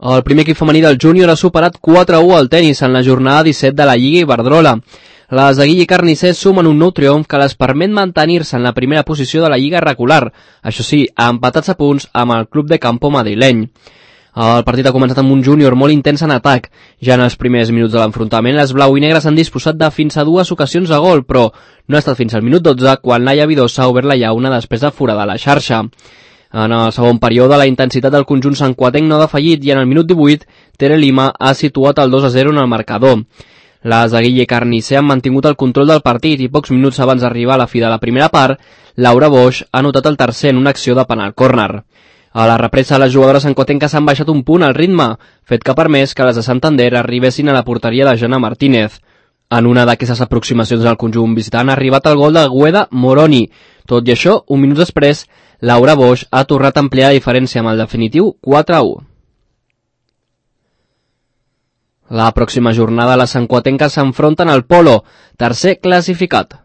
El primer equip femení del júnior ha superat 4-1 al tenis en la jornada 17 de la Lliga Iberdrola. Les de Guille Carnicers sumen un nou triomf que les permet mantenir-se en la primera posició de la Lliga regular, això sí, empatats a punts amb el club de campo madrileny. El partit ha començat amb un júnior molt intens en atac. Ja en els primers minuts de l'enfrontament, les blau i negres han disposat de fins a 2 ocasions de gol, però no ha estat fins al minut 12 quan Laia Vidosa ha obert la llauna després de foradar la xarxa. En el segon període, la intensitat del conjunt santcuatenc no ha defallit i en el minut 18, Tere Lima ha situat el 2-0 en el marcador. Les de Guille Carnicer han mantingut el control del partit i pocs minuts abans d'arribar a la fi de la primera part, Laura Boix ha anotat el tercer en una acció de penal córner. A la represa, les jugadores santcuatenques han baixat un punt al ritme, fet que ha permès que les de Santander arribessin a la porteria de Jana Martínez. En una d'aquestes aproximacions al conjunt visitant ha arribat el gol de Gueda Moroni. Tot i això, un minut després, Laura Boix ha tornat a ampliar la diferència amb el definitiu 4-1. La pròxima jornada les santcuatenques s'enfronten al Polo, tercer classificat.